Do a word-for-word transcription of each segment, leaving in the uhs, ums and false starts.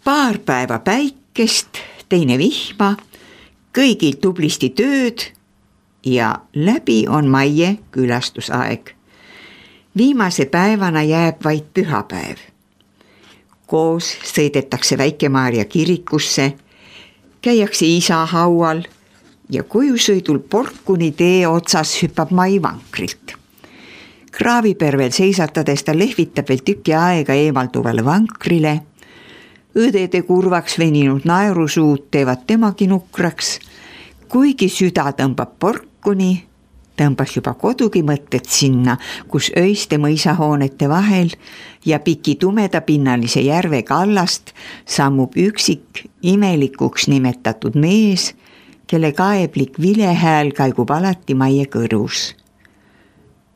Paar päeva päikest, teine vihma, kõigil tublisti tööd ja läbi on Maie külastusaeg. Viimase päevana jääb vaid pühapäev. Koos sõidetakse Väike-Maarja kirikusse, käiakse isa haual ja kojusõidul Porkuni tee otsas hüppab Mai vankrilt. Kraavipervel seisatades ta lehvitab veel tüki aega eemalduvale vankrile. Õdede kurvaks veninud naerusuud teevad temagi nukraks. Kuigi süda tõmbab Porkuni, tõmbas juba kodugi mõtted sinna, kus öiste mõisahoonete vahel ja piki tumedapinnalise järve kallast sammub üksik imelikuks nimetatud mees, kelle kaeblik vilehääl kaigub alati Maie kõrus.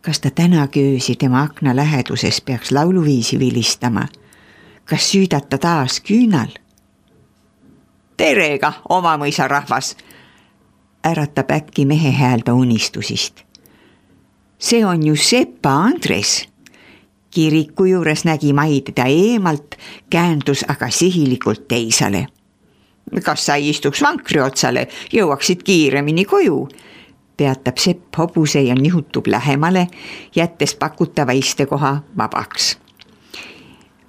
Kas ta tänagi öösi tema akna läheduses peaks lauluviisi vilistama? Kas süüdata taas küünal? Terega, oma mõisa rahvas! Äratab äkki mehe häälda unistusist. See on ju Sepa Andres. Kiriku juures nägi Mai teda eemalt, käändus aga sihilikult teisale. Kas sa istuks vankri otsale, jõuaksid kiiremini koju? Peatab Sepp hobuse ja nihutub lähemale, jättes pakutava istekoha vabaks.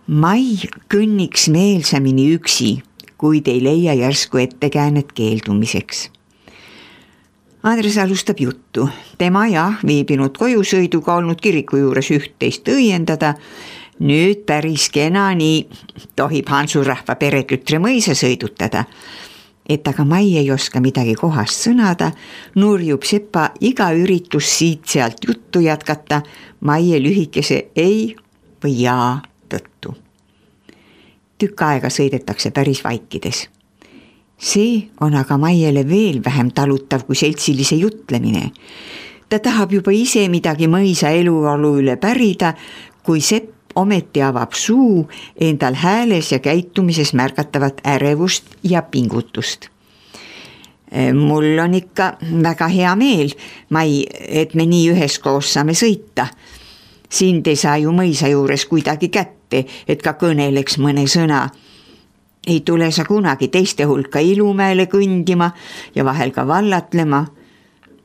Mai kõnniks meelsamini üksi, kuid ei leia järsku ettekäänet keeldumiseks. Andres alustab juttu. Tema jah, viibinud kojusõiduga olnud kiriku juures üht-teist õiendada. Nüüd päris kena nii tohib Hansurahva peretütre mõisa sõidutada. Et aga Mai ei oska midagi kohast sõnada, nurjub Sepa iga üritus siit sealt juttu jätkata Maie lühikese ei või jaa tõttu. Tükk aega sõidetakse päris vaikides. See on aga Maiele veel vähem talutav kui seltsilise jutlemine. Ta tahab juba ise midagi mõisa eluolu üle pärida, kui Sepp ometi avab suu endal hääles ja käitumises märgatavat ärevust ja pingutust. Mul on ikka väga hea meel, Mai, et me nii üheskoos saame sõita. Sind ei saa ju mõisa juures kuidagi kätte, et ka kõneleks mõne sõna. Ei tule sa kunagi teiste hulka Ilumäele kõndima ja vahel ka vallatlema.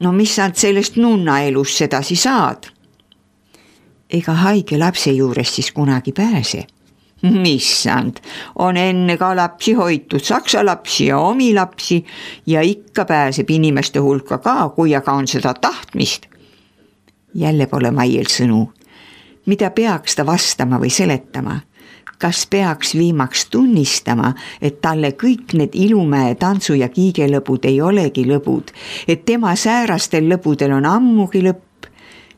No mis sa sellest nunna elus sedasi saad? Ega haige lapse juures siis kunagi pääse. Missand, on enne ka lapsi hoitud, saksa lapsi ja omi lapsi ja ikka pääseb inimeste hulka ka, kui aga on seda tahtmist. Jälle pole Maiel sõnu. Mida peaks ta vastama või seletama? Kas peaks viimaks tunnistama, et talle kõik need Ilumäe tantsu- ja kiigelõbud ei olegi lõbud, et tema säärastel lõbudel on ammugi lõpp,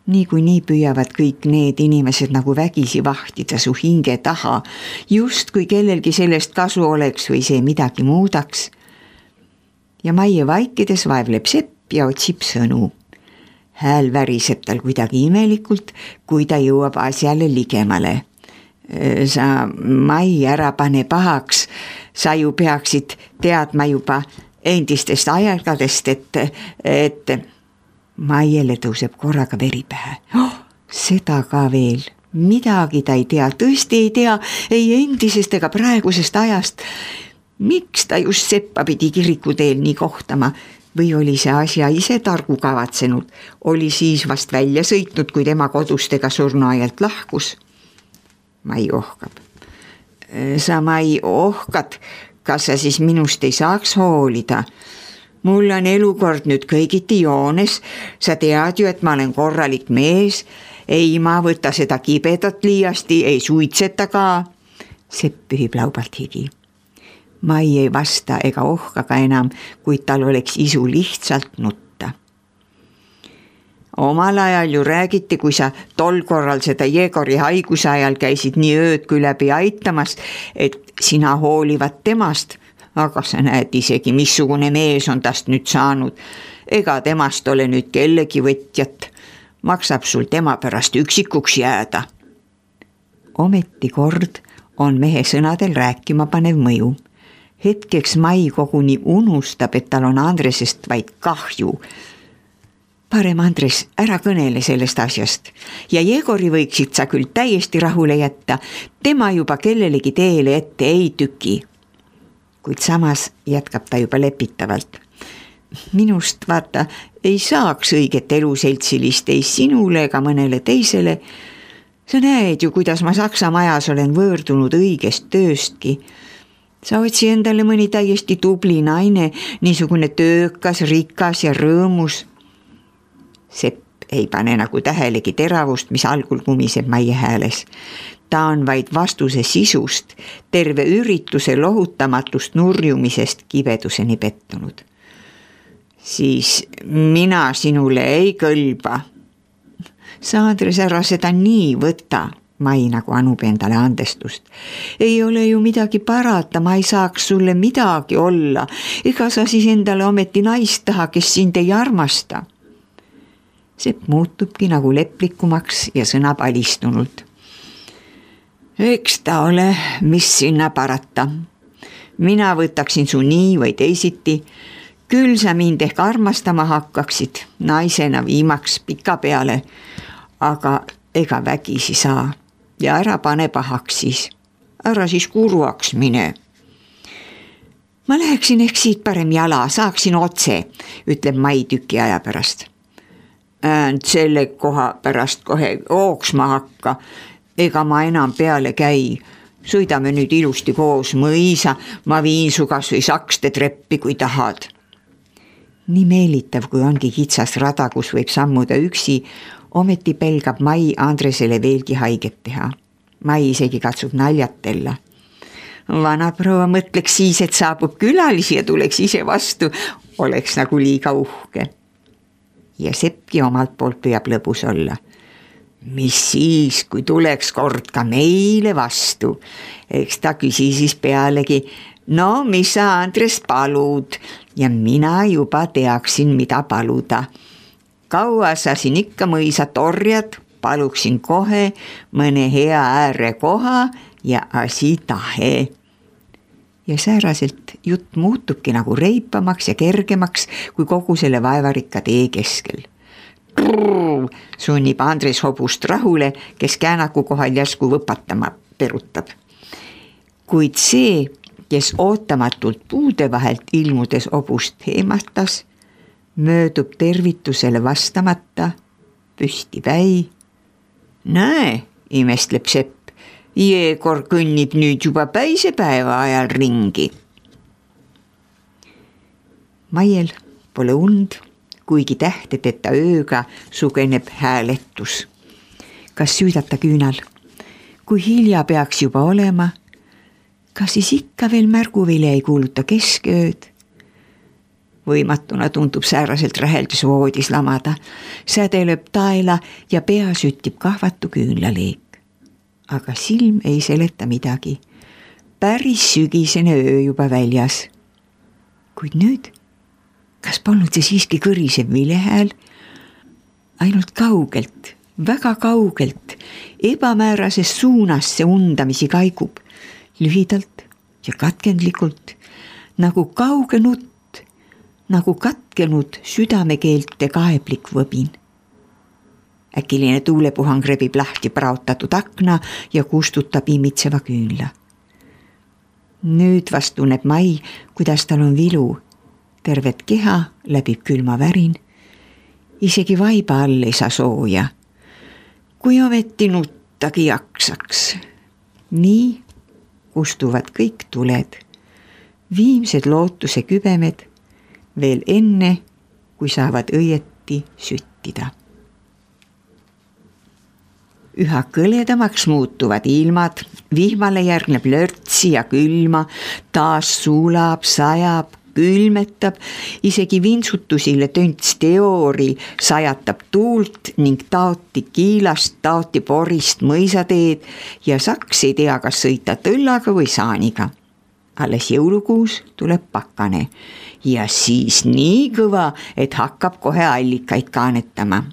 nii kui nii püüavad kõik need inimesed nagu vägisi vahtida su hinge taha, just kui kellelgi sellest kasu oleks või see midagi muudaks. Ja Maie vaikides vaevleb Sepp ja otsib sõnu. Hääl väriseb tal kuidagi imelikult, kui ta jõuab asjale ligemale. Sa Mai ära pane pahaks, sa ju peaksid teadma juba endistest ajalgadest, et, et Maiele tõuseb korraga veri pähe. Oh, seda ka veel, midagi ta ei tea, tõesti ei tea, ei endisest ega praegusest ajast. Miks ta just Seppa pidi kirikuteel nii kohtama? Või oli see asja ise targu kavatsenud? Oli siis vast välja sõitnud, kui tema kodustega surnuaialt lahkus? Mai ohkab. Sa Mai ohkad, kas sa siis minust ei saaks hoolida? Mul on elukord nüüd kõigiti joones, sa tead ju, et ma olen korralik mees, ei ma võta seda kibedat liiasti, ei suitseta ka. Sepp pühib laubalt higi. Mai ei vasta ega ohka ka enam, kuid tal oleks isu lihtsalt nutta. Omal ajal ju räägiti, kui sa tol korral seda Jegori haiguse ajal käisid nii ööd kui läbi aitamas, et sina hoolivad temast, aga sa näed isegi, missugune mees on tast nüüd saanud. Ega temast ole nüüd kellegi võtjat. Maksab sul tema pärast üksikuks jääda. Ometi kord on mehe sõnadel rääkima panev mõju. Hetkeks Mai koguni unustab, et tal on Andresest vaid kahju. Parem Andres, ära kõnele sellest asjast ja Jegori võiksid sa küll täiesti rahule jätta, tema juba kellelegi teele ette ei tüki. kuid samas jätkab ta juba lepitavalt. Minust vaata ei saaks õiget eluseltsilist ei sinule ega mõnele teisele. Sa näed ju, kuidas ma Saksa majas olen võõrdunud õigest tööstki. Sa otsi endale mõni täiesti tubli naine, niisugune töökas, rikas ja rõõmus. Sepp ei pane nagu tähelegi teravust, mis algul kumiseb Maie hääles. Ta on vaid vastuse sisust, terve ürituse lohutamatust nurjumisest kibeduseni pettunud. Siis mina sinule ei kõlba. Sa, Andres, ära seda nii võta. Mai nagu anub endale andestust. Ei ole ju midagi parata, ma ei saaks sulle midagi olla. Ega sa siis endale ometi naist taha, kes sind ei armasta. Sepp muutubki nagu leplikumaks ja sõnab alistunult. Eks ta ole, mis sinna parata. Mina võtaksin su nii või teisiti. Küll sa mind ehk armastama hakkaksid, naisena viimaks pika peale. Aga ega vägisi saa. Ja ära pane pahaks siis. Ära siis kurvaks mine. Ma läheksin ehk siit parem jala, saaksin otse, ütleb Mai tüki aja pärast. Äänd selle koha pärast kohe ooksma hakka, ega ma enam peale käi. Sõidame nüüd ilusti koos mõisa, ma viin su kas või sakste treppi, kui tahad. Nii meelitav, kui ongi kitsas rada, kus võib sammuda üksi, ometi pelgab Mai Andresele veelgi haiget teha. Mai isegi katsub naljatella. Vanaproua mõtleks siis, et saabub külalisi ja tuleks ise vastu, oleks nagu liiga uhke. Ja Seppki omalt poolt püüab lõbus olla. Mis siis, kui tuleks kord ka meile vastu? Eks ta küsi siis pealegi, no mis sa, Andres, palud? Ja mina juba teaksin, mida paluda. Kaua sa siin ikka mõisa torjad, paluksin kohe mõne hea ääre koha ja asi tahe. Ja sääraselt jutt muutubki nagu reipamaks ja kergemaks kui kogu selle vaevarikka tee keskel. Trrr, sunnib Andres hobust rahule, kes käänaku kohal järsku võpatama perutab. Kuid see, kes ootamatult puude vahelt ilmudes hobust heematas, möödub tervitusele vastamata, püsti väi. Näe, imestleb Sepp, Jeegor kõnnib nüüd juba päisepäeva ajal ringi. Maiel pole und, kuigi tähtedeta ööga sugeneb hääletus. Kas süüdata küünal? Kui hilja peaks juba olema, kas siis ikka veel märguvile ei kuuluta keskööd? Võimatuna tundub sääraselt räheldus voodis lamada. Säde lööb taela ja pea süttib kahvatu küünlaleek. Aga silm ei seleta midagi. Päris sügisene öö juba väljas. Kuid nüüd, kas polnud see siiski kõrisev vilehääl? Ainult kaugelt, väga kaugelt, ebamäärases suunas see undamisi kaikub. Lühidalt ja katkendlikult, nagu kauge nutt, nagu katkenud südamekeelte kaeblik võbin. Äkiline tuulepuhang rebib lahti praotatud akna ja kustutab imitseva küünla. Nüüd vast tunneb Mai, kuidas tal on vilu. Tervet keha läbib külma värin. Isegi vaiba all ei saa sooja. Kui ometi nuttagi jaksaks. Nii kustuvad kõik tuled. Viimsed lootuse kübemed veel enne, kui saavad õieti süttida. Üha kõledamaks muutuvad ilmad, vihmale järgneb lörtsi ja külma, taas suulab, sajab, külmetab, isegi vintsutusile tönts teoori sajatab tuult ning taoti kiilast, taoti porist mõisateed ja saks ei tea, kas sõita tõllaga või saaniga. Alles jõulukuus tuleb pakane ja siis nii kõva, et hakkab kohe allikaid kaanetama.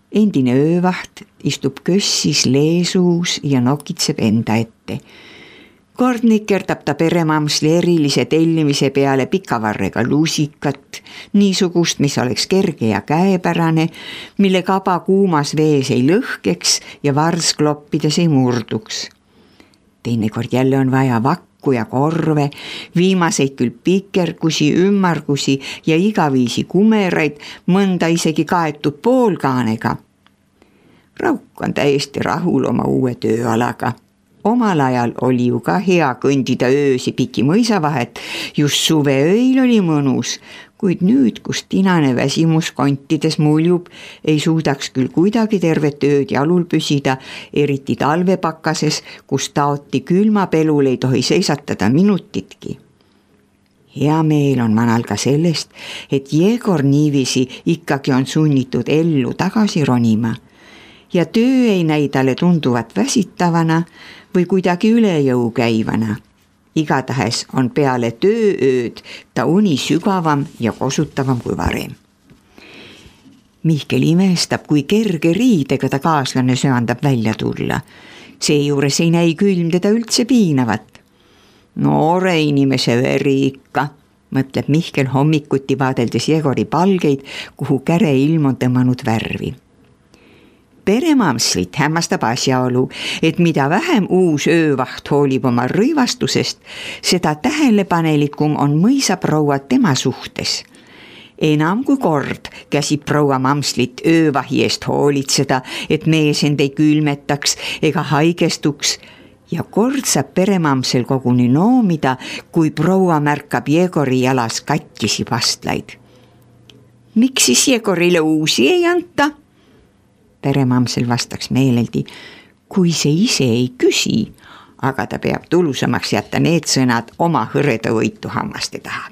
Endine öövaht istub kössis leesuus ja nokitseb enda ette. Kord nikerdab ta peremamsli erilise tellimise peale pikavarrega lusikat, niisugust, mis oleks kerge ja käepärane, mille kaba kuumas vees ei lõhkeks ja vars kloppides ei murduks. Teinekord jälle on vaja vakka rakku ja korve, viimaseid küll pikergusi, ümmargusi ja igaviisi kumeraid, mõnda isegi kaetud poolkaanega. Rauk on täiesti rahul oma uue tööalaga. Omal ajal oli ju ka hea kõndida öösi piki mõisa vahet, just suveöil oli mõnus, kuid nüüd, kus tinane väsimus kontides muljub, ei suudaks küll kuidagi tervet ööd jalul püsida, eriti talvepakkases, kus taoti külmapelul ei tohi seisatada minutitki. Hea meel on vanal ka sellest, et Jegor niiviisi ikkagi on sunnitud ellu tagasi ronima ja töö ei näi talle tunduvat väsitavana või kuidagi üle jõu käivana. Igatahes on peale tööööd ta uni sügavam ja kosutavam kui varem. Mihkel imestab, kui kerge riidega ta kaaslane söandab välja tulla. Seejuures ei näi külm teda üldse piinavat. Noore inimese veri ikka, mõtleb Mihkel hommikuti vaadeldes Jegori palgeid, kuhu käre ilm on tõmmanud värvi. Peremamslit hämmastab asjaolu, et mida vähem uus öövaht hoolib oma rõivastusest, seda tähelepanelikum on mõisaproua tema suhtes. Enam kui kord käsib proua Mamslit öövahi eest hoolitseda, et mees end ei külmetaks ega haigestuks, ja kord saab peremamsel koguni noomida, kui proua märkab Jegori jalas katkisi pastlaid. Miks siis Jegorile uusi ei anta? Peremamsel vastaks meeleldi, kui see ise ei küsi, aga ta peab tulusamaks jätta need sõnad oma hõreda võitu hammaste taha.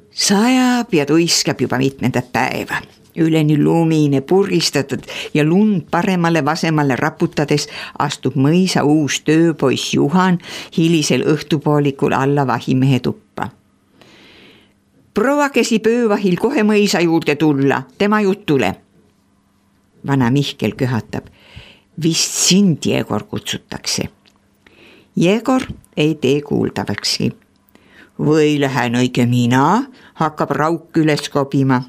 Sajab ja tuiskab juba mitmendat päeva. Üleni lumine purgistatud ja lund paremale vasemale raputades astub mõisa uus tööpoiss Juhan hilisel õhtupoolikul alla vahimehe tuppa. Proua käsib öövahil kohe mõisa juurde tulla, tema jutule. Vana Mihkel köhatab, vist sind Jegor kutsutakse. Jegor ei tee kuuldavakski. Või lähen õige mina, hakkab Rauk üles kobima.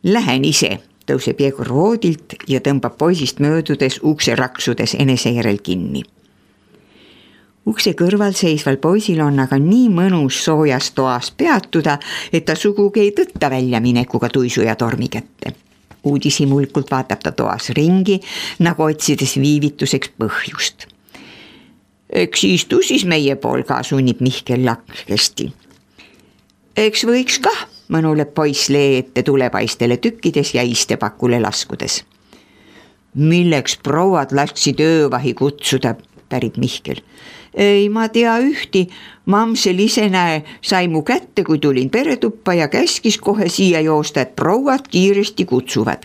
Lähen ise, tõuseb Jegor voodilt ja tõmbab poisist möödudes ukse raksudes enese järel kinni. Ukse kõrval seisval poisil on aga nii mõnus soojas toas peatuda, et ta sugugi ei tõtta välja minekuga tuisu ja tormi kätte. Uudishimulkult vaatab ta toas ringi, nagu otsides viivituseks põhjust. Eks istu siis meie pool ka, sunnib Mihkel lahkesti. Eks võiks kah, mõnuleb poiss lee ette tulepaistele tükkides ja istepakule laskudes. Milleks prouad lasksid öövahi kutsuda, pärib Mihkel. Ei ma tea ühti, Mamsel ise näe, sai mu kätte, kui tulin peretuppa ja käskis kohe siia joosta, et prouad kiiresti kutsuvad.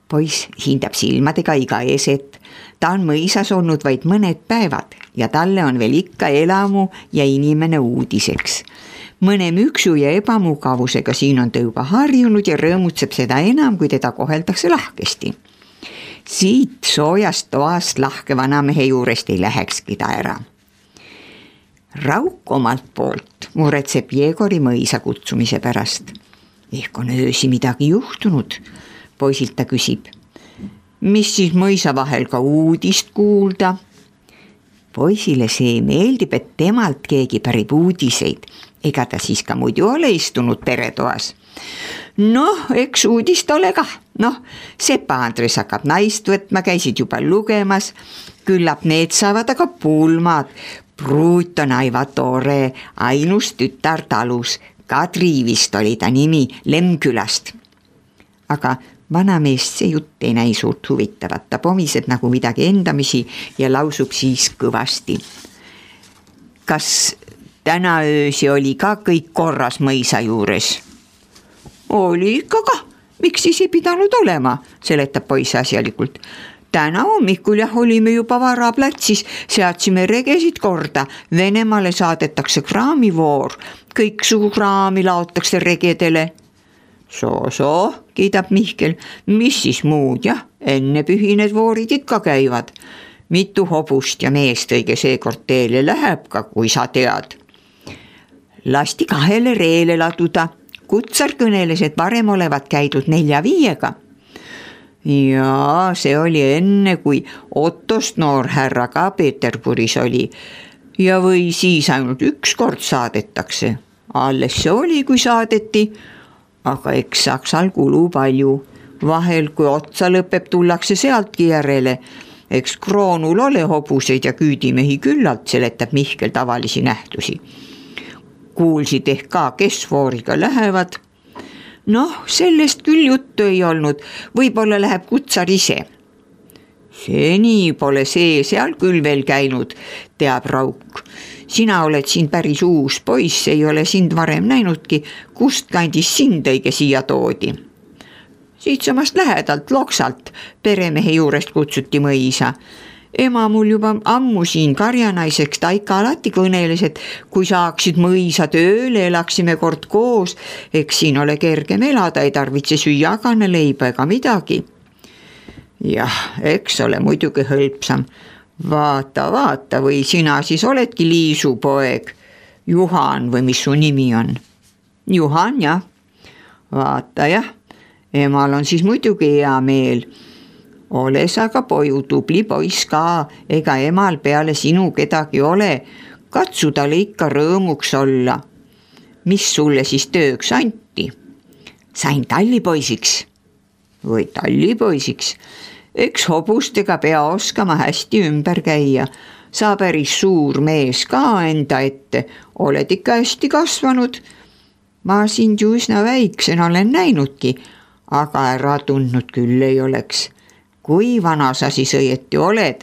Poiss hindab silmadega iga eset, ta on mõisas olnud vaid mõned päevad ja talle on veel ikka elamu ja inimene uudiseks. Mõne müksu ja ebamugavusega siin on ta juba harjunud ja rõõmutseb seda enam, kui teda koheldakse lahkesti. Siit soojast toast lahke vanamehe juurest ei lähekski ta ära. Rauk omalt poolt muretseb Jegori mõisa kutsumise pärast. Ehk on öösi midagi juhtunud, poisilt ta küsib. Mis siis mõisa vahel ka uudist kuulda? Poisile see meeldib, et temalt keegi pärib uudiseid, ega ta siis ka muidu ole istunud peretoas. Noh, eks uudist ole kah. Noh, Sepa Andres hakkab naist võtma, käisid juba lugemas, küllap need saavad aga pulmad. Pruut on aiva tore, ainus tütar talus, Kadri vist oli ta nimi Lemkülast. Aga vanameest see jutt ei näi suurt huvitavat, ta pomiseb nagu midagi endamisi ja lausub siis kõvasti. Kas täna öösi oli ka kõik korras mõisa juures? Oli ikka ka, miks siis ei pidanud olema, seletab poiss asjalikult. Täna hommikul jah olime juba vara platsis, seadsime regesid korda, Venemaale saadetakse kraamivoor, kõik sugu kraami laotakse regedele. Soo-soo, kiidab Mihkel, mis siis muud, jah, enne pühi need voorid ikka käivad. Mitu hobust ja meest õige seekord teele läheb ka, kui sa tead. Lasti kahele reele laduda. Kutsar kõneles, et varem olevat käidud nelja viiega. ja see oli enne, kui Ottost noorhärra ka Peterburis oli ja või siis ainult üks kord saadetakse. Alles see oli, kui saadeti, aga eks Saksal kulu palju. Vahel, kui otsa lõpeb, tullakse sealtki järele. Eks kroonul ole hobuseid ja küüdimehi küllalt, seletab Mihkel tavalisi nähtusi. Kuulsid ehk ka, kes vooriga lähevad. Noh, sellest küll juttu ei olnud, võib-olla läheb kutsar ise. Seni pole see seal küll veel käinud, teab Rauk. Sina oled siin päris uus poiss, ei ole sind varem näinudki, kust kandis sind õige siia toodi. Siitsamast lähedalt Loksalt peremehe juurest kutsuti mõisa. Ema mul juba ammu siin karjanaiseks, ta ikka alati kõneles, et kui saaksid mõisa tööle, elaksime kord koos, eks siin ole kergem elada, ei tarvitse süüa kanaleiba ega midagi. Jah, eks ole muidugi hõlpsam. Vaata, vaata, või sina siis oledki Liisu poeg, Juhan või mis su nimi on? Juhan, jah. Vaata, jah, emal on siis muidugi hea meel. Ole sa ka poju tubli poiss ka, ega emal peale sinu kedagi ole, katsu talle ikka rõõmuks olla. Mis sulle siis tööks anti? Sain tallipoisiks. Või tallipoisiks? Eks hobustega pea oskama hästi ümber käia. Sa päris suur mees ka enda ette, oled ikka hästi kasvanud. Ma sind ju üsna väiksena olen näinudki, aga ära tundnud küll ei oleks. Kui vana sa siis õieti oled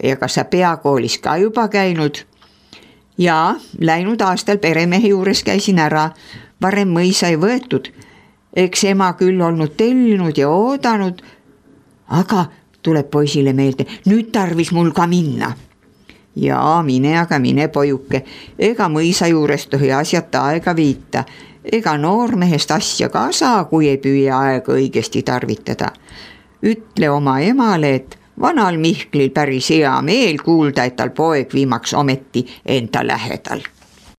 ja kas sa peakoolis ka juba käinud? Ja, läinud aastal peremehe juures käisin ära, varem mõisa ei võetud. Eks ema küll olnud tellinud ja oodanud, aga tuleb poisile meelde, nüüd tarvis mul ka minna. Ja mine, aga mine pojuke, ega mõisa juures tohi asjata aega viita, ega noormehest asja ka saa, kui ei püüa aega õigesti tarvitada. Ütle oma emale, et vanal Mihklil päris hea meel kuulda, et tal poeg viimaks ometi enda lähedal.